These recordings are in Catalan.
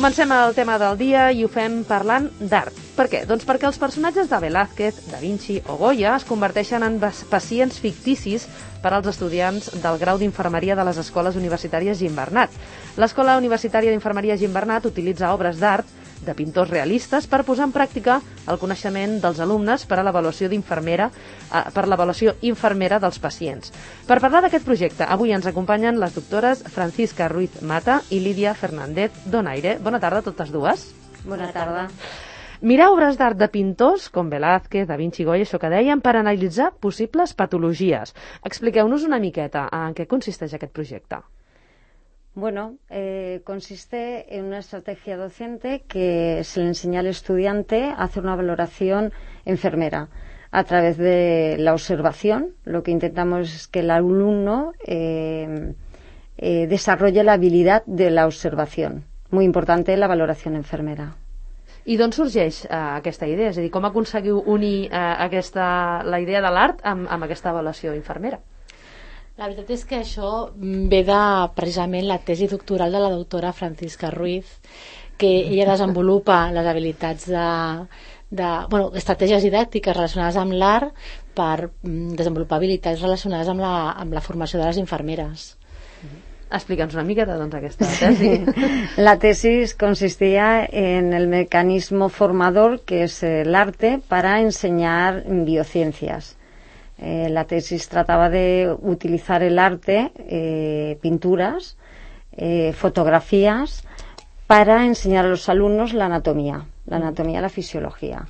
Comencem el tema del dia i ho fem parlant d'art. Per què? Doncs perquè els personatges de Velázquez, Da Vinci o Goya es converteixen en pacients ficticis per als estudiants del grau d'infermeria de les escoles universitàries Gimbernat. L'Escola Universitària d'Infermeria Gimbernat utilitza obres d'art de pintors realistes per posar en pràctica el coneixement dels alumnes per a l'avaluació infermera dels pacients. Per parlar d'aquest projecte, avui ens acompanyen les doctores Francisca Ruiz Mata i Lídia Fernández Donaire. Bona tarda a totes dues. Bona tarda. Mirar obres d'art de pintors com Velázquez, Da Vinci i Goya, això que dèiem, per analitzar possibles patologies. Expliqueu-nos una miqueta en què consisteix aquest projecte. Bueno, consiste en una estrategia docente que se le enseña al estudiante a hacer una valoración enfermera a través de la observación. Lo que intentamos es que el alumno desarrolle la habilidad de la observación. Muy importante la valoración enfermera. I d'on sorgeix aquesta idea? És a dir, com aconseguiu unir la idea de l'art amb aquesta avaluació infermera? La veritat és que això ve de precisament la tesi doctoral de la doctora Francisca Ruiz, que ella desenvolupa les habilitats estratègies didàctiques relacionades amb l'art per desenvolupar habilitats relacionades amb la formació de les infermeres. Explica'ns una miqueta, doncs, aquesta tesi. La tesis consistía en el mecanismo formador que es el arte para enseñar biociencias. La tesis trataba de utilizar el arte, pinturas, fotografías, para enseñar a los alumnos la anatomía, la fisiología.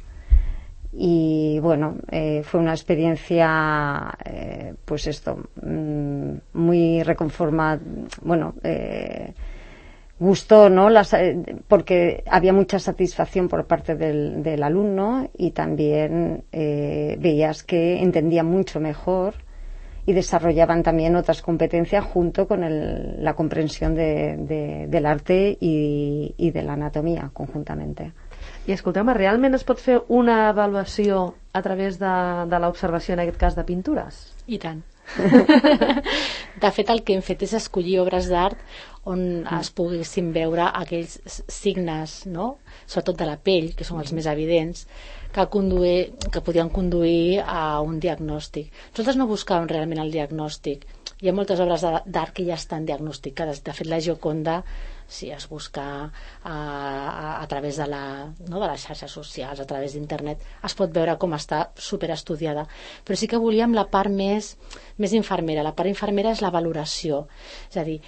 Y bueno, fue una experiencia, muy reconformada, gustó, ¿no? Porque había mucha satisfacción por parte del alumno y también veías que entendían mucho mejor y desarrollaban también otras competencias junto con la comprensión del arte y de la anatomía conjuntamente. I escolteu-me, realment es pot fer una avaluació a través de l'observació, en aquest cas, de pintures? I tant. De fet, el que hem fet és escollir obres d'art on es poguessin veure aquells signes, no? Sobretot de la pell, que són els més evidents, que podien conduir a un diagnòstic. Nosaltres no buscàvem realment el diagnòstic. Hi ha moltes obres d'art que ja estan diagnosticades. De fet, la Gioconda, si es busca a través de les xarxes socials, a través d'internet, es pot veure com està superestudiada. Però sí que volíem la part més infermera. La part infermera és la valoració. És a dir,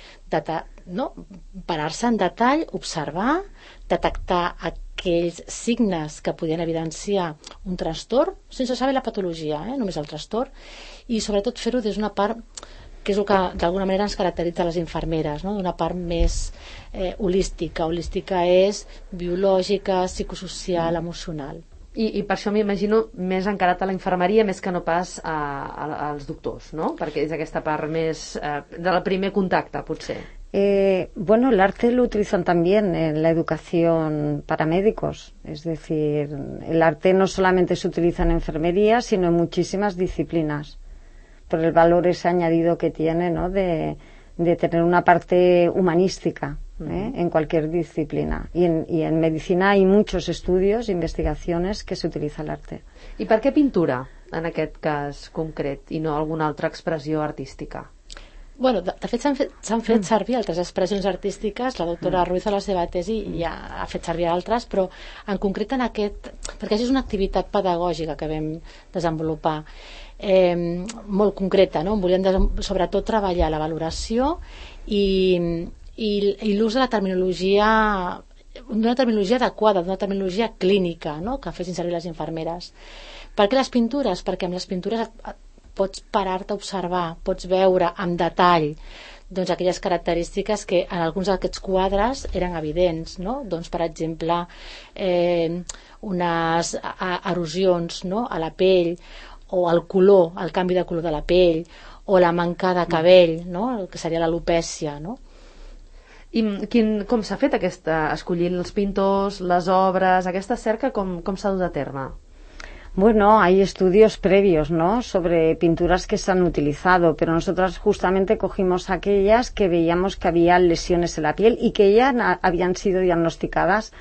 parar-se en detall, observar, detectar aquells signes que podien evidenciar un trastorn, sense saber la patologia, només el trastorn, i sobretot fer-ho des d'una part que és el que d'alguna manera ens caracteritza les infermeres, no? D'una part més holística. Holística és biològica, psicosocial, emocional. I per això m'imagino més encarat a la infermeria més que no pas als doctors, no? Perquè és aquesta part més del primer contacte, potser. El arte lo utilizan también en la educación para médicos. Es decir, el arte no solamente se utiliza en enfermería, sino en muchísimas disciplinas, por el valor ese añadido que tiene, ¿no? de tener una parte humanística en cualquier disciplina. Y en medicina hay muchos estudios e investigaciones que se utiliza el arte. I per què pintura, en aquest cas concret, i no alguna altra expressió artística? Bueno, de fet s'han fet servir altres expressions artístiques. La doctora Ruiz a la seva tesi ja ha fet servir altres, però en concret en aquest, perquè és una activitat pedagògica que vam desenvolupar molt concreta, no? Volíem sobretot treballar la valoració i l'ús de la terminologia, d'una terminologia adequada, d'una terminologia clínica, no? Que fessin servir les infermeres. Per què les pintures? Perquè amb les pintures pots parar-te a observar, pots veure amb detall doncs aquelles característiques que en alguns d'aquests quadres eren evidents, no? Doncs, per exemple, unes erosions, no? A la pell, o el color, el canvi de color de la pell, o la manca de cabell, no? El que seria l'alopècia, no? I com s'ha fet escollir els pintors, les obres, aquesta cerca, com s'ha dut a terme? Bueno, hay estudios previos, ¿no?, sobre pinturas que se han utilizado, pero nosotras justamente cogimos aquellas que veíamos que había lesiones en la piel y que ya habían sido diagnosticadas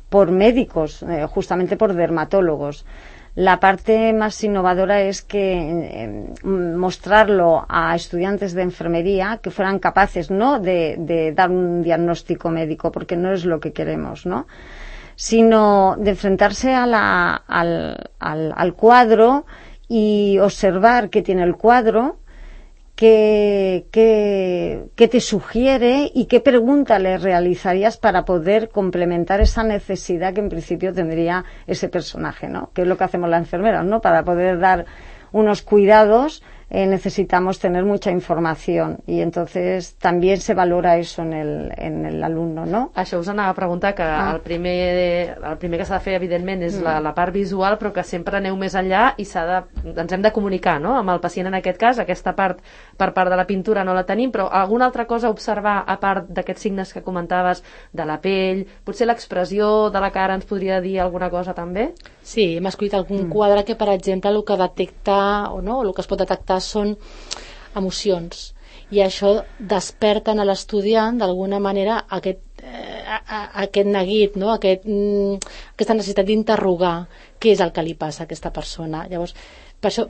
por médicos, justamente por dermatólogos. La parte más innovadora es que mostrarlo a estudiantes de enfermería que fueran capaces, no de dar un diagnóstico médico, porque no es lo que queremos, ¿no?, sino de enfrentarse al cuadro y observar qué tiene el cuadro, qué te sugiere y qué pregunta le realizarías para poder complementar esa necesidad que en principio tendría ese personaje, ¿no?, que es lo que hacemos las enfermeras, ¿no?, para poder dar unos cuidados necesitamos tener mucha información y entonces también se valora eso en el alumno, no? Això us anava a preguntar, que el primer que s'ha de fer evidentment és la part visual, però que sempre aneu més enllà i ens hem de comunicar, no?, amb el pacient en aquest cas. Aquesta part per part de la pintura no la tenim, però alguna altra cosa a observar a part d'aquests signes que comentaves de la pell, potser l'expressió de la cara ens podria dir alguna cosa també? Sí, hem escollit algun quadre que, per exemple, el que detecta o no, el que es pot detectar són emocions, i això desperta a l'estudiant d'alguna manera aquest neguit, no? Aquesta necessitat d'interrogar què és el que li passa a aquesta persona. Llavors, per això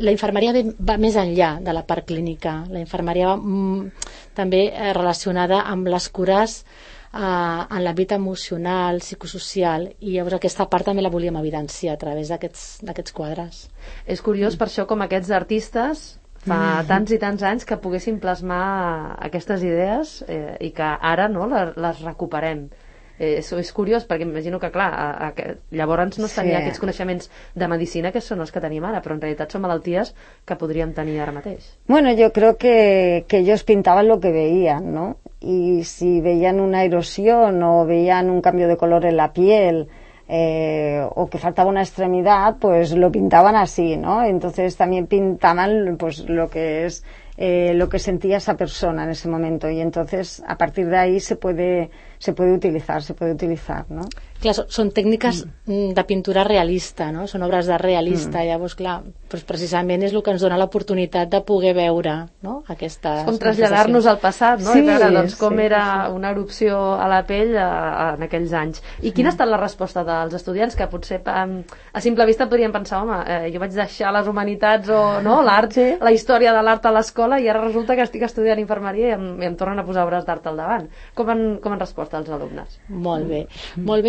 la infermeria va més enllà de la part clínica. La infermeria va també relacionada amb les cures en l'àmbit emocional, psicosocial, i llavors aquesta part també la volíem evidenciar a través d'aquests quadres. És curiós per això com aquests artistes fa tants i tants anys que poguessin plasmar aquestes idees i que ara no les recuperem. És curiós perquè imagino que clar, llavors no tenia aquests coneixements de medicina que són els que tenim ara, però en realitat són malalties que podríem tenir ara mateix. Bueno, yo creo que ellos pintaban lo que veían, ¿no? Y si veían una erosión o veían un cambio de color en la piel o que faltaba una extremidad, pues lo pintaban así, ¿no? Entonces también pintaban pues lo que es lo que sentía esa persona en ese momento, y entonces a partir de ahí se puede utilizar, ¿no? Clar, són tècniques de pintura realista, no? Són obres d'art realista, llavors, clar, doncs precisament és el que ens dona l'oportunitat de poder veure, no?, aquestes... Com traslladar-nos al passat, no? I veure doncs, com era una erupció a la pell en aquells anys. I quina ha estat la resposta dels estudiants, que potser a simple vista podrien pensar, home, jo vaig deixar les humanitats o no, l'art, la història de l'art a l'escola, i ara resulta que estic estudiant infermeria i em tornen a posar obres d'art al davant. Com han respost els alumnes? Molt bé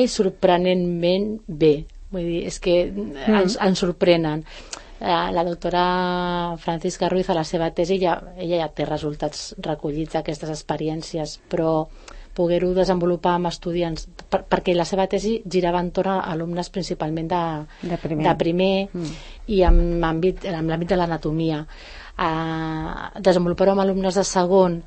i sorprenentment bé. Vull dir, és que ens sorprenen. La doctora Francisca Ruiz, a la seva tesi, ella ja té resultats recollits d'aquestes experiències, però poder-ho desenvolupar amb estudiants, perquè la seva tesi girava entorn a alumnes principalment de primer i amb l'àmbit de l'anatomia. Desenvolupar-ho amb alumnes de segon,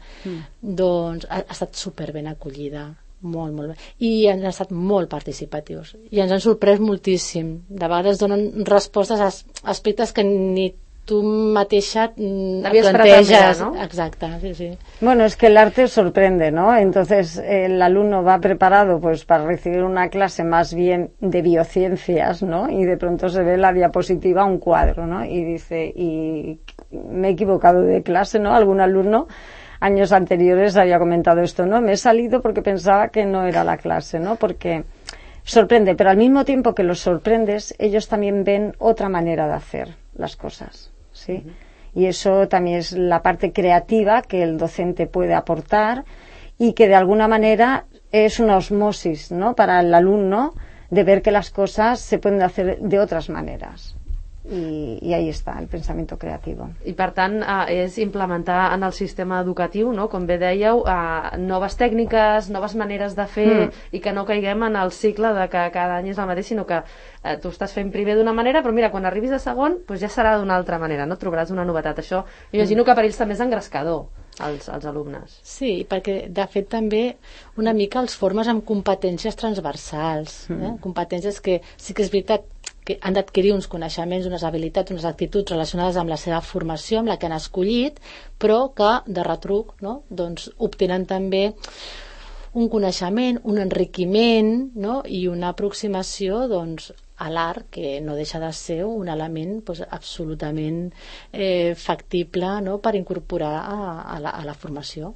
doncs ha estat superben acollida, molt bé, i han estat molt participatius i ens han sorprès moltíssim. De vegades donen respostes a aspectes que ni tú mateixa plantejas, ¿no? Exacto, sí. Bueno, es que el arte sorprende, ¿no? Entonces el alumno va preparado pues para recibir una clase más bien de biociencias, ¿no? Y de pronto se ve la diapositiva, un cuadro, ¿no? Y dice, y me he equivocado de clase, ¿no? Algún alumno años anteriores había comentado esto, ¿no? Me he salido porque pensaba que no era la clase, ¿no? Porque sorprende, pero al mismo tiempo que los sorprendes, ellos también ven otra manera de hacer las cosas, ¿sí? Y eso también es la parte creativa que el docente puede aportar y que de alguna manera es una osmosis, ¿no?, para el alumno, de ver que las cosas se pueden hacer de otras maneras. I ahí està el pensament creatiu. I per tant és implementar en el sistema educatiu, no?, com bé dèieu, noves tècniques, noves maneres de fer i que no caiguem en el cicle de que cada any és el mateix, sinó que tu estàs fent primer d'una manera, però mira, quan arribis a segon doncs ja serà d'una altra manera, no? Trobaràs una novetat. Això imagino que per ells també és engrescador, als alumnes. Sí, perquè de fet també una mica els formes amb competències transversals, competències que sí que és veritat que han d'adquirir uns coneixements, unes habilitats, unes actituds relacionades amb la seva formació, amb la que han escollit, però que de retruc, no?, doncs obtenen també un coneixement, un enriquiment, no?, i una aproximació doncs a l'art, que no deixa de ser un element absolutament factible, no?, per incorporar a la formació.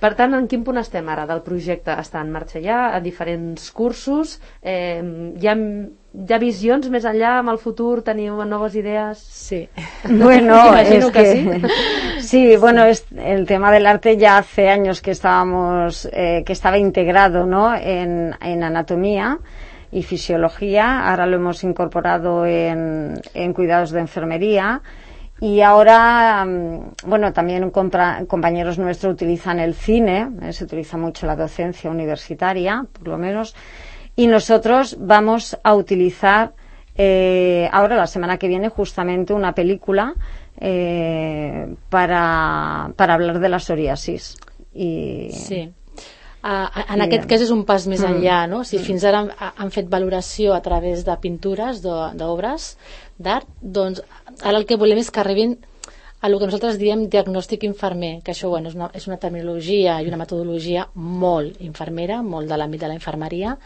Per tant, en quin punt estem ara del projecte? Està en marxa ja, a diferents cursos? Hi ha visions més enllà, amb el futur? Teniu noves idees? Sí. Bueno, imagino que sí. Sí, bueno, el tema del arte ya hace años que que estaba integrado, ¿no?, en anatomía y fisiología. Ahora lo hemos incorporado en cuidados de enfermería. Y ahora, bueno, también compañeros nuestros utilizan el cine, se utiliza mucho la docencia universitaria, por lo menos, y nosotros vamos a utilizar ahora, la semana que viene, justamente una película para hablar de la psoriasis. Sí. En aquest cas és un pas més enllà, no? Si fins ara han fet valoració a través de pintures, d'obres d'art, doncs ara el que volem és que arribin a el que nosaltres diem diagnòstic infermer, que això, bueno, és una terminologia i una metodologia molt infermera, molt de l'àmbit de la infermeria,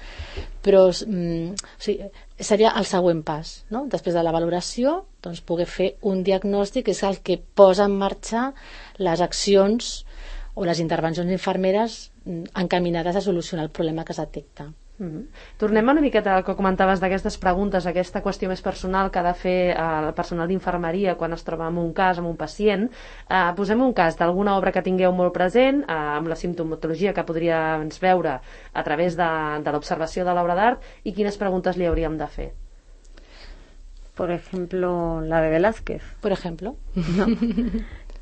però o sigui, seria el següent pas, no? Després de la valoració, doncs poder fer un diagnòstic, que és el que posa en marxa les accions o les intervencions infermeres encaminades a solucionar el problema que es detecta. Tornem una miqueta al que comentaves d'aquestes preguntes, aquesta qüestió més personal que ha de fer el personal d'infermeria quan es troba en un cas, amb un pacient. Posem un cas d'alguna obra que tingueu molt present, amb la simptomatologia que podríem veure a través de l'observació de l'obra d'art, i quines preguntes li hauríem de fer. Por ejemplo, la de Velázquez. Por ejemplo. No.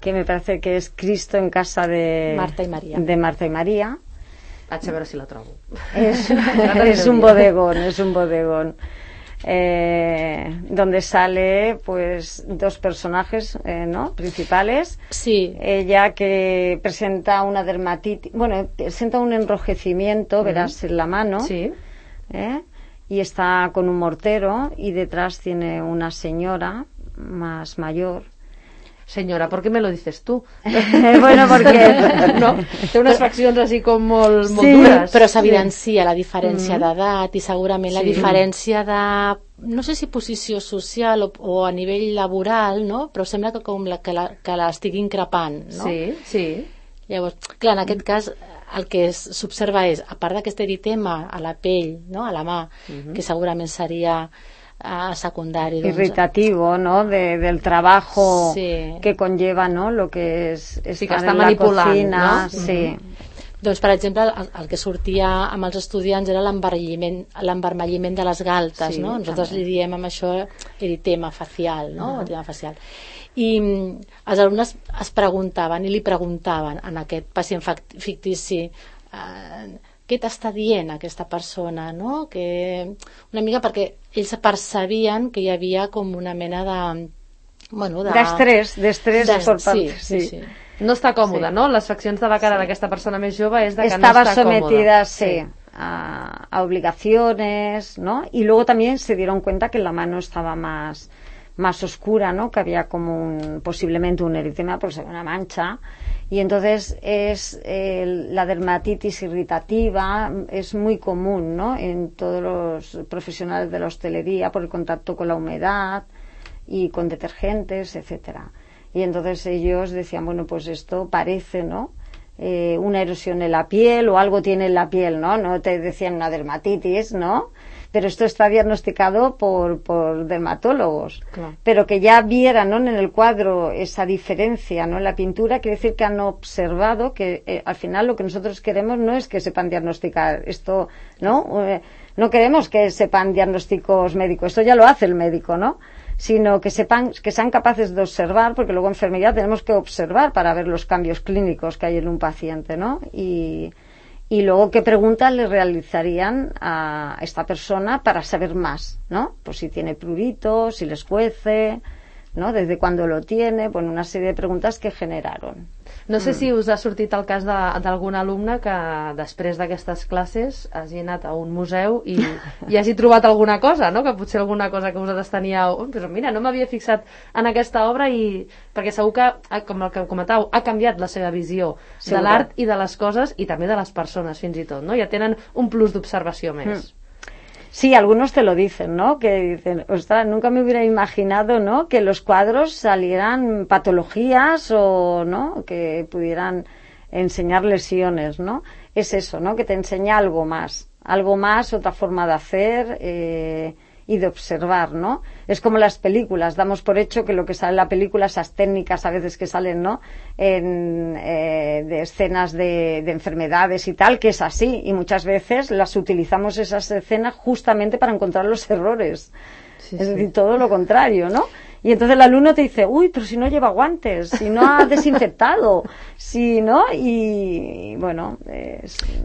Que me parece que es Cristo en casa de Marta y María. De Marta y María. A veure si la trobo. Es un bodegón. Donde sale pues dos personajes, ¿no?, principales. Sí. Ella que presenta una dermatitis, bueno, presenta un enrojecimiento, verás, en la mano. Sí. Y está con un mortero, y detrás tiene una señora más mayor. Senyora, ¿por qué me lo dices tú? Bueno, perquè no, té unes faccions així com molt sí, dures. Però s'evidencia la diferència d'edat i segurament la diferència de, no sé si posició social o a nivell laboral, no? Però sembla que l'estigui increpant, no? Sí, sí. Llavors, clar, en aquest cas el que s'observa és, a part d'aquest eritema a la pell, no?, a la mà, que segurament seria secundari, doncs, irritativo, ¿no?, del trabajo sí, que conlleva, ¿no?, lo que es sí, que estar està en la manipulant, cocina, no? Sí. Doncs, per exemple, el que sortia amb els estudiants era l'envermelliment de les galtes, sí, no? Nosaltres li diem amb això eritema facial, no? Eritema facial. I els alumnes es preguntaven i li preguntaven a aquest pacient fictici què t'està dient aquesta persona, no? Que una mica perquè ells percebien que hi havia com una mena de... Bueno, d'estrès per part... Sí. No està còmoda, no? Les faccions de la cara d'aquesta persona més jove és de que estaba no està sometida, còmoda. sí, a obligaciones, ¿no? Y luego también se dieron cuenta que la mano estaba más oscura, ¿no? Que había como posiblemente un eritema, pues una mancha. Y entonces la dermatitis irritativa es muy común, ¿no?, en todos los profesionales de la hostelería por el contacto con la humedad y con detergentes, etcétera. Y entonces ellos decían, bueno, pues esto parece, ¿no?, una erosión en la piel o algo tiene en la piel, ¿no? No te decían una dermatitis, ¿no? Pero esto está diagnosticado por dermatólogos. Claro. Pero que ya vieran, ¿no?, en el cuadro esa diferencia, ¿no?, en la pintura, quiere decir que han observado que al final lo que nosotros queremos no es que sepan diagnosticar esto, ¿no? No queremos que sepan diagnósticos médicos, esto ya lo hace el médico, ¿no?, sino que sepan, que sean capaces de observar, porque luego en enfermería tenemos que observar para ver los cambios clínicos que hay en un paciente, ¿no? Y luego qué preguntas le realizarían a esta persona para saber más, ¿no? Pues si tiene prurito, si les cuece, ¿no?, desde cuándo lo tiene, bueno, una serie de preguntas que generaron. No sé si us ha sortit el cas d'algun alumne que després d'aquestes classes hagi anat a un museu i hagi trobat alguna cosa, no?, que potser alguna cosa que vosaltres teníeu, però mira, no m'havia fixat en aquesta obra, i perquè segur que, com el que comentàveu, ha canviat la seva visió de l'art i de les coses i també de les persones fins i tot, no? Ja tenen un plus d'observació més. Sí, algunos te lo dicen, ¿no? Que dicen, ostras, nunca me hubiera imaginado, ¿no? Que los cuadros salieran patologías o, ¿no? Que pudieran enseñar lesiones, ¿no? Es eso, ¿no? Que te enseña algo más, otra forma de hacer y de observar, ¿no? Es como las películas, damos por hecho que lo que sale en la película, esas técnicas a veces que salen, ¿no? De escenas de enfermedades y tal, que es así, y muchas veces las utilizamos esas escenas justamente para encontrar los errores. Sí, es decir, todo lo contrario, ¿no? Y entonces el alumno te dice, uy, pero si no lleva guantes, si no ha desinfectado, si no, i bueno,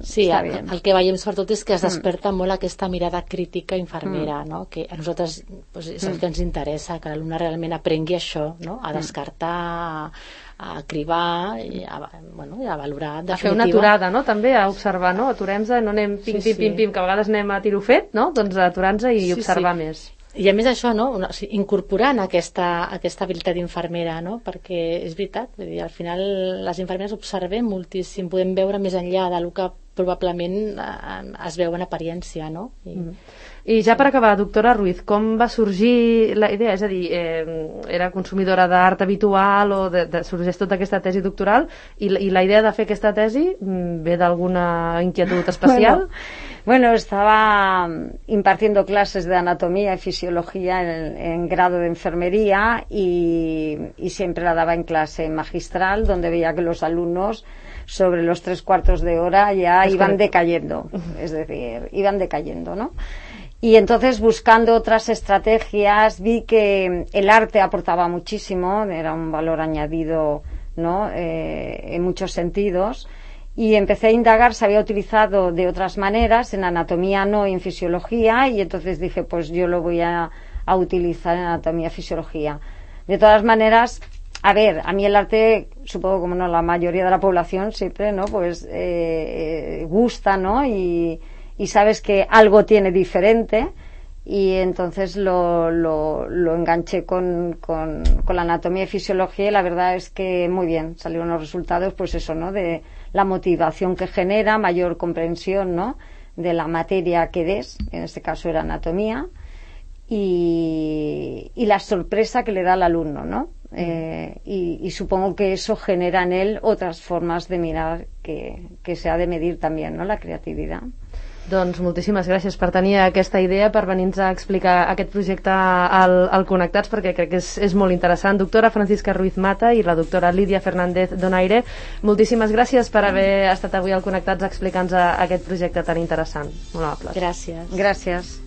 sí, està bé. El que veiem sobretot és que es desperta molt aquesta mirada crítica infermera, no? Que a nosaltres pues, és el que ens interessa, que l'alumne realment aprengui això, no? A descartar, a cribar i a valorar, en definitiva. A fer una aturada, no? També a observar, no? Aturem-nos, no anem pim, pim, que a vegades anem a tiro fet, no? Doncs aturar-nos i observar més. I a més això, no? Incorporant aquesta habilitat infermera, no? Perquè és veritat, vull dir, al final les infermeres observem moltíssim, podem veure més enllà del que probablement es veu en apariència, no? I ja per acabar, doctora Ruiz, com va sorgir la idea? És a dir, era consumidora d'art habitual o sorgeix tota aquesta tesi doctoral i la idea de fer aquesta tesi ve d'alguna inquietud especial? Bueno, estaba impartiendo clases de anatomía y fisiología en grado de enfermería y siempre la daba en clase magistral, donde veía que los alumnos sobre los 3/4 de hora ya iban decayendo, es decir, iban decayendo, ¿no? Y entonces, buscando otras estrategias, vi que el arte aportaba muchísimo, era un valor añadido, ¿no? En muchos sentidos. Y empecé a indagar, se había utilizado de otras maneras, en anatomía no, y en fisiología, y entonces dije, pues yo lo voy a utilizar en anatomía y fisiología. De todas maneras, a ver, a mí el arte, supongo como no la mayoría de la población siempre, ¿no? Pues gusta, ¿no? Y sabes que algo tiene diferente, y entonces lo enganché con la anatomía y fisiología, y la verdad es que muy bien, salieron los resultados, pues eso, ¿no? De la motivación que genera, mayor comprensión, ¿no? De la materia que des, en este caso era anatomía, y la sorpresa que le da al alumno, ¿no? Y supongo que eso genera en él otras formas de mirar que se ha de medir también, ¿no? La creatividad. Doncs moltíssimes gràcies per tenir aquesta idea, per venir-nos a explicar aquest projecte al Connectats, perquè crec que és molt interessant. Doctora Francisca Ruiz Mata i la doctora Lídia Fernández Donaire, moltíssimes gràcies per haver estat avui al Connectats explicant-nos aquest projecte tan interessant. Molt amables. Gràcies. Gràcies.